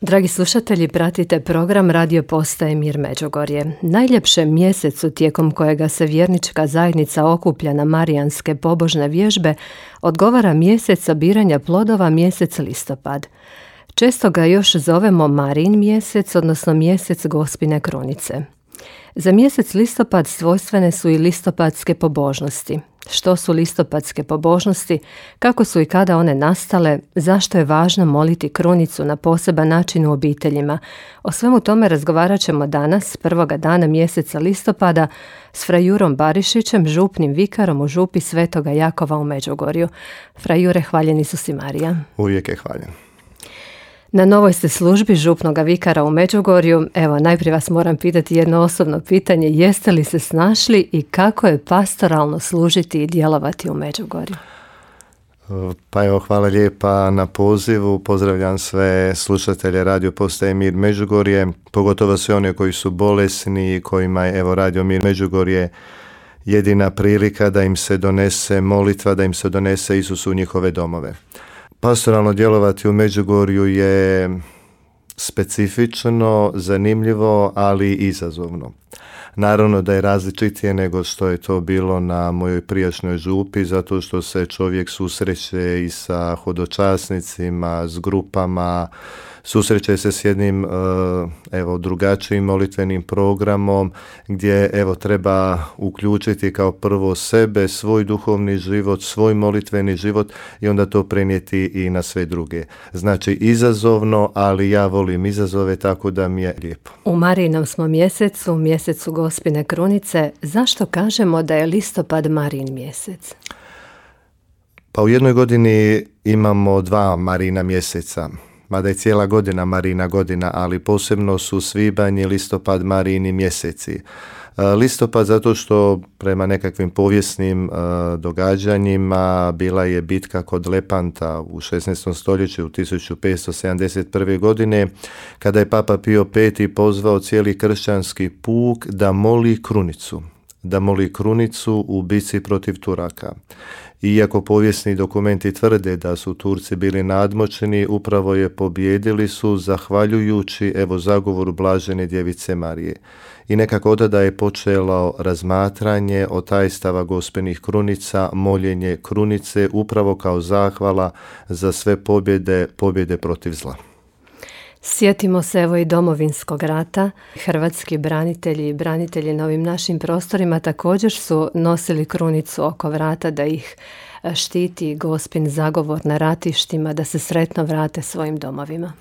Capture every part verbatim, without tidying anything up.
Dragi slušatelji, pratite program Radio Postaje Mir Međugorje. Najljepšem mjesecu tijekom kojega se vjernička zajednica okuplja na marijanske pobožne vježbe odgovara mjesec sabiranja plodova, mjesec listopad. Često ga još zovemo Marijin mjesec, odnosno mjesec Gospine krunice. Za mjesec listopad svojstvene su i listopadske pobožnosti. Što su listopadske pobožnosti, kako su i kada one nastale, zašto je važno moliti krunicu na poseban način u obiteljima. O svemu tome razgovarat ćemo danas, prvoga dana mjeseca listopada, s fra Jurom Barišićem, župnim vikarom u župi Svetoga Jakova u Međugorju. Fra Jure, hvaljen Isus i Marija. Uvijek je hvaljen. Na novoj ste službi župnoga vikara u Međugorju. Evo, najprije vas moram pitati jedno osobno pitanje. Jeste li se snašli i kako je pastoralno služiti i djelovati u Međugorju? Pa evo, hvala lijepa na pozivu. Pozdravljam sve slušatelje Radio Postaje Mir Međugorje, pogotovo sve one koji su bolesni i kojima je evo Radio Mir Međugorje jedina prilika da im se donese molitva, da im se donese Isus u njihove domove. Pastoralno djelovati u Međugorju je specifično, zanimljivo, ali i izazovno. Naravno da je različitije nego što je to bilo na mojoj prijašnjoj župi, zato što se čovjek susreće i sa hodočasnicima, s grupama, susreće se s jednim evo, drugačijim molitvenim programom gdje evo, treba uključiti kao prvo sebe, svoj duhovni život, svoj molitveni život i onda to prenijeti i na sve druge. Znači izazovno, ali ja volim izazove, tako da mi je lijepo. U Marijinom smo mjesecu, mjesecu Gospine krunice. Zašto kažemo da je listopad Marijin mjesec? Pa u jednoj godini imamo dva Marijina mjeseca. Mada je cijela godina Marijina godina, ali posebno su svibanj i listopad Marijini mjeseci. Listopad zato što prema nekakvim povijesnim uh, događanjima bila je bitka kod Lepanta u šesnaestom stoljeću u tisuću petsto sedamdeset prve. godine, kada je Papa Pio peti pozvao cijeli kršćanski puk da moli krunicu, da moli krunicu u bitci protiv Turaka. Iako povijesni dokumenti tvrde da su Turci bili nadmoćni, upravo je pobijedili su zahvaljujući evo zagovoru blažene djevice Marije. I nekako odada je počelo razmatranje o tajstava Gospinih krunica, moljenje krunice upravo kao zahvala za sve pobjede, pobjede protiv zla. Sjetimo se evo i Domovinskog rata. Hrvatski branitelji i branitelji na ovim našim prostorima također su nosili krunicu oko vrata da ih štiti Gospin zagovor na ratištima, da se sretno vrate svojim domovima.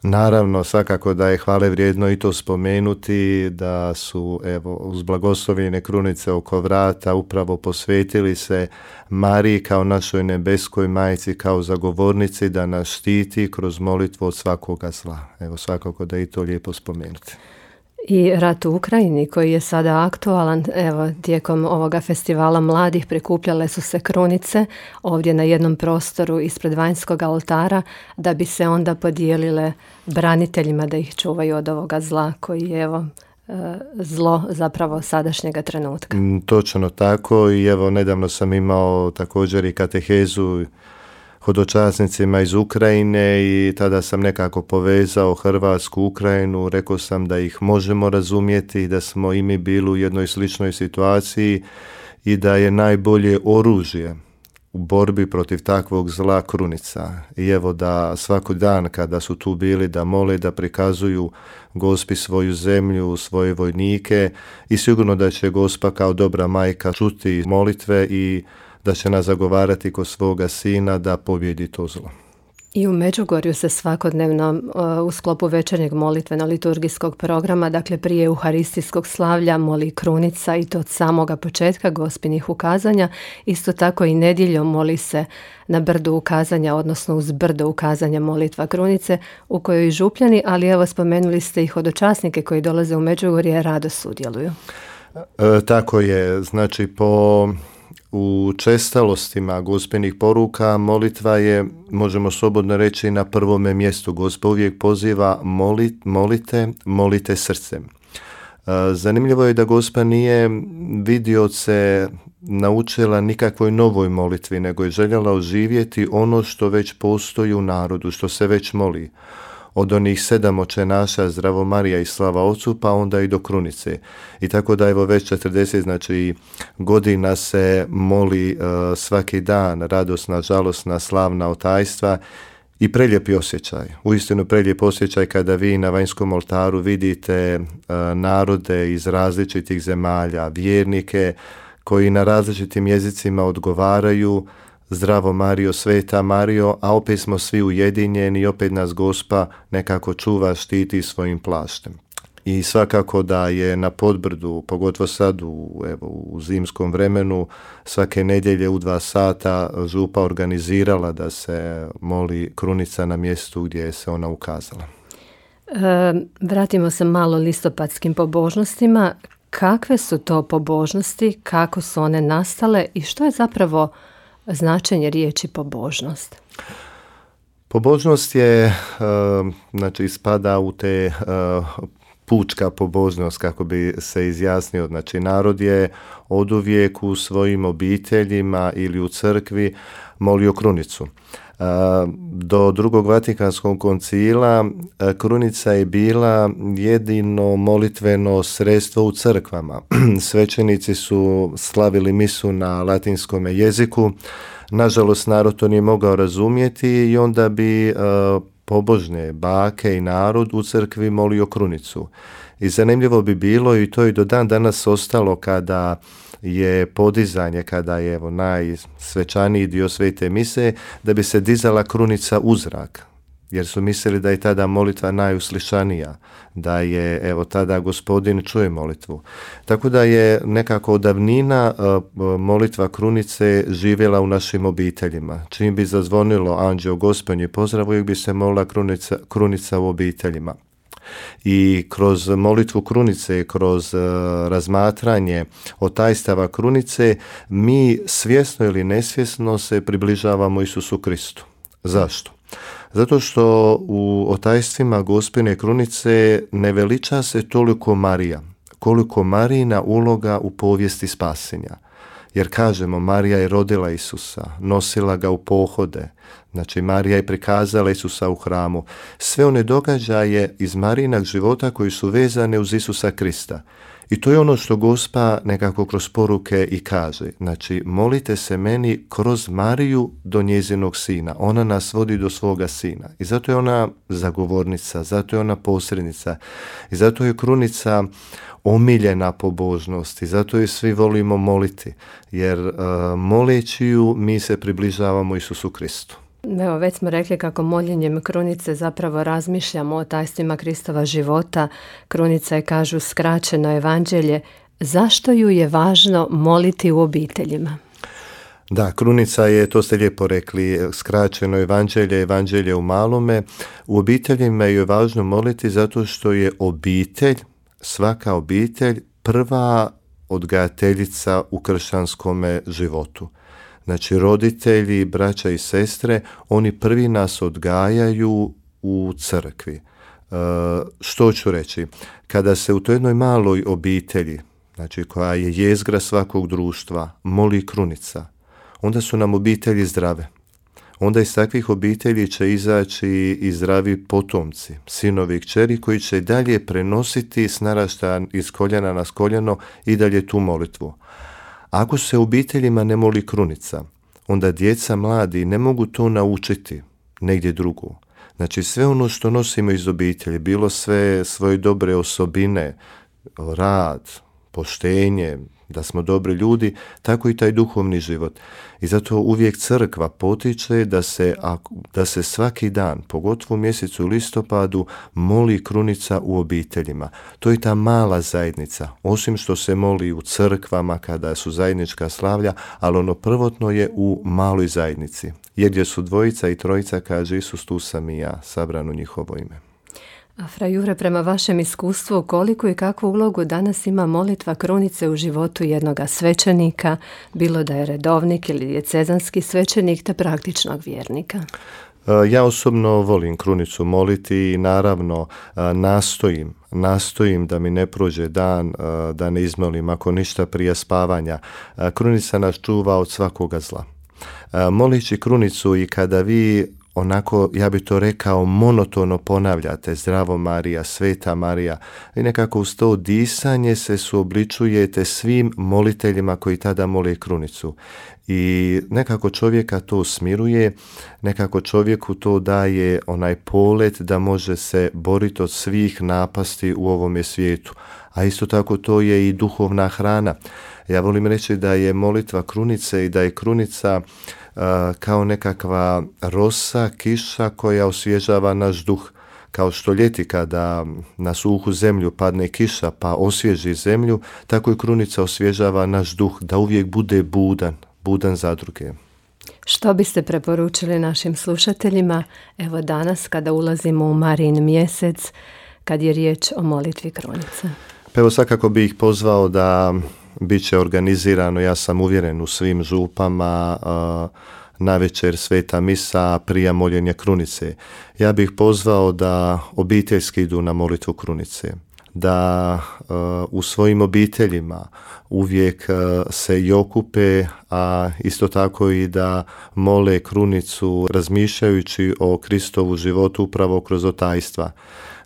Naravno, svakako da je hvale vrijedno i to spomenuti, da su evo uz blagoslovljene krunice oko vrata upravo posvetili se Mariji kao našoj nebeskoj majci, kao zagovornici da nas štiti kroz molitvu od svakoga zla. Evo svakako da je i to lijepo spomenuti. I rat u Ukrajini koji je sada aktualan, evo tijekom ovoga festivala mladih prikupljale su se krunice ovdje na jednom prostoru ispred vanjskog oltara da bi se onda podijelile braniteljima da ih čuvaju od ovoga zla koji je evo zlo zapravo sadašnjega trenutka. Točno tako i evo nedavno sam imao također i katehezu hodočasnicima iz Ukrajine i tada sam nekako povezao Hrvatsku, Ukrajinu, rekao sam da ih možemo razumjeti, da smo i mi bili u jednoj sličnoj situaciji i da je najbolje oružje u borbi protiv takvog zla krunica. I evo da svaki dan kada su tu bili da mole, da prikazuju Gospi svoju zemlju, svoje vojnike i sigurno da će Gospa kao dobra majka čuti molitve i da će nas zagovarati kod svoga sina da pobjedi to zlo. I u Međugorju se svakodnevno u sklopu večernjeg molitveno-liturgijskog programa, dakle prije euharistijskog slavlja, moli krunica i to od samoga početka Gospinih ukazanja. Isto tako i nedjeljom moli se na brdu ukazanja, odnosno uz brdo ukazanja molitva krunice u kojoj i župljani, ali evo spomenuli ste i hodočasnike koji dolaze u Međugorje rado sudjeluju. E, tako je, znači po u čestalostima Gospinih poruka molitva je, možemo slobodno reći, na prvome mjestu. Gospa uvijek poziva molit, molite, molite srcem. Zanimljivo je da Gospa nije vidioce naučila nikakvoj novoj molitvi, nego je željela oživjeti ono što već postoji u narodu, što se već moli. od onih sedam očenaša, Zdravo Marija i Slava Ocu, pa onda i do krunice. I tako da evo već četrdeset znači, godina se moli uh, svaki dan, radosna, žalosna, slavna otajstva i prelijepi osjećaj. Uistinu prelijep osjećaj kada vi na vanjskom oltaru vidite uh, narode iz različitih zemalja, vjernike koji na različitim jezicima odgovaraju Zdravo Marijo, Sveta Marijo, a opet smo svi ujedinjeni i opet nas Gospa nekako čuva, štiti svojim plaštem. I svakako da je na Podbrdu, pogotovo sad u, evo, u zimskom vremenu, svake nedjelje u dva sata župa organizirala da se moli krunica na mjestu gdje je se ona ukazala. E, vratimo se malo listopadskim pobožnostima. Kakve su to pobožnosti, kako su one nastale i što je zapravo značenje riječi pobožnost? Pobožnost je, znači, spada u te pučka pobožnost, kako bi se izjasnio. Znači, narod je oduvijek u svojim obiteljima ili u crkvi molio krunicu. Do drugog Vatikanskog koncila krunica je bila jedino molitveno sredstvo u crkvama. Svećenici su slavili misu na latinskom jeziku. Nažalost, narod to nije mogao razumjeti i onda bi pobožne bake i narod u crkvi molio krunicu. I zanimljivo bi bilo, i to i do dan danas ostalo, kada je podizanje, kada je evo, najsvečaniji dio svete mise, da bi se dizala krunica u zrak, jer su mislili da je tada molitva najuslišanija, da je evo tada Gospodin čuje molitvu. Tako da je nekako od davnina molitva krunice živjela u našim obiteljima. Čim bi zazvonilo anđeo Gospodnji pozdrav, uvijek bi se molila krunica, krunica u obiteljima. I kroz molitvu krunice, kroz uh, razmatranje otajstava krunice, mi svjesno ili nesvjesno se približavamo Isusu Kristu. Zašto? Zato što u otajstvima Gospine krunice ne veliča se toliko Marija, koliko Marijina uloga u povijesti spasenja. Jer kažemo, Marija je rodila Isusa, nosila ga u pohode, znači Marija je prikazala Isusa u hramu. Sve one događaje iz Marijinog života koji su vezane uz Isusa Krista. I to je ono što Gospa nekako kroz poruke i kaže. Znači, molite se meni kroz Mariju do njezinog sina. Ona nas vodi do svoga sina. I zato je ona zagovornica, zato je ona posrednica. I zato je krunica omiljena pobožnost i zato je svi volimo moliti. Jer uh, moleći ju mi se približavamo Isusu Kristu. Evo, već smo rekli kako moljenjem krunice zapravo razmišljamo o tajstvima Kristova života. Krunica je, kažu, skraćeno evanđelje. Zašto ju je važno moliti u obiteljima? Da, krunica je, to ste lijepo rekli, skraćeno evanđelje, evanđelje u malome. U obiteljima je važno moliti zato što je obitelj, svaka obitelj, prva odgajateljica u kršćanskome životu. Znači, roditelji, braća i sestre, oni prvi nas odgajaju u crkvi. E, što ću reći? Kada se u toj jednoj maloj obitelji, znači koja je jezgra svakog društva, moli krunica, onda su nam obitelji zdrave. Onda iz takvih obitelji će izaći i zdravi potomci, sinovi i kćeri, koji će dalje prenositi s naraštaja iz koljena na koljeno i dalje tu molitvu. Ako se u obiteljima ne moli krunica, onda djeca mladi ne mogu to naučiti negdje drugo. Znači, sve ono što nosimo iz obitelji, bilo sve svoje dobre osobine, rad, poštenje, da smo dobri ljudi, tako i taj duhovni život. I zato uvijek crkva potiče da se, da se svaki dan, pogotovo u mjesecu listopadu, moli krunica u obiteljima. To je ta mala zajednica, osim što se moli u crkvama kada su zajednička slavlja, ali ono prvotno je u maloj zajednici. Jer gdje su dvojica i trojica, kaže Isus, tu sam i ja, sabran u njihovo ime. A fra Jure, prema vašem iskustvu, koliko i kakvu ulogu danas ima molitva krunice u životu jednoga svećenika, bilo da je redovnik ili dijecezanski svećenik, te praktičnog vjernika? Ja osobno volim krunicu moliti i naravno nastojim, nastojim da mi ne prođe dan, da ne izmolim, ako ništa prije spavanja. Krunica nas čuva od svakoga zla. Molići krunicu i kada vi onako, ja bi to rekao, monotono ponavljate Zdravo Marija, Sveta Marija i nekako uz to disanje se suobličujete svim moliteljima koji tada mole krunicu. I nekako čovjeka to smiruje, nekako čovjeku to daje onaj polet da može se boriti od svih napasti u ovome svijetu. A isto tako to je i duhovna hrana. Ja volim reći da je molitva krunice i da je krunica uh, kao nekakva rosa, kiša koja osvježava naš duh. Kao što ljeti kada na suhu zemlju padne kiša pa osvježi zemlju, tako i krunica osvježava naš duh da uvijek bude budan, budan za druge. Što biste preporučili našim slušateljima, evo danas kada ulazimo u Marijin mjesec, kad je riječ o molitvi krunice? Pa evo svakako bih ih pozvao da bit će organizirano, ja sam uvjeren, u svim župama, uh, navečer sveta misa prije moljenja krunice. Ja bih pozvao da obiteljski idu na molitvu krunice, da uh, u svojim obiteljima uvijek uh, se i okupe, a isto tako i da mole krunicu razmišljajući o Kristovu životu upravo kroz otajstva.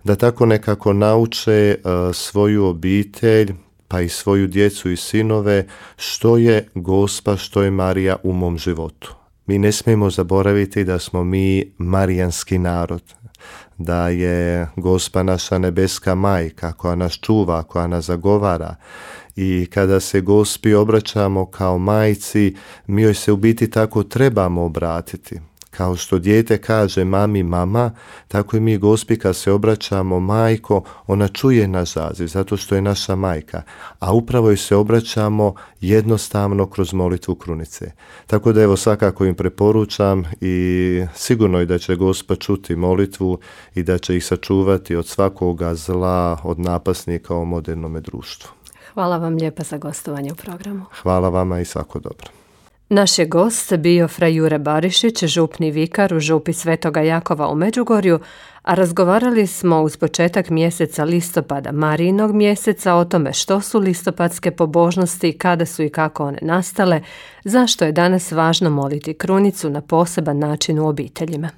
Da tako nekako nauče uh, svoju obitelj, pa i svoju djecu i sinove, što je Gospa, što je Marija u mom životu. Mi ne smijemo zaboraviti da smo mi marijanski narod, da je Gospa naša nebeska majka koja nas čuva, koja nas zagovara. I kada se Gospi obraćamo kao majci, mi joj se u biti tako trebamo obratiti. Kao što dijete kaže mami mama, tako i mi Gospi kad se obraćamo majko, ona čuje naš zaziv zato što je naša majka, a upravo joj se obraćamo jednostavno kroz molitvu krunice. Tako da evo svakako im preporučam i sigurno je da će Gospa čuti molitvu i da će ih sačuvati od svakoga zla, od napasnika u modernome društvu. Hvala vam lijepa za gostovanje u programu. Hvala vama i svako dobro. Naš je gost bio fra Jure Barišić, župni vikar u župi Svetoga Jakova u Međugorju, a razgovarali smo uz početak mjeseca listopada, Marijinog mjeseca, o tome što su listopadske pobožnosti, kada su i kako one nastale, zašto je danas važno moliti krunicu na poseban način u obiteljima.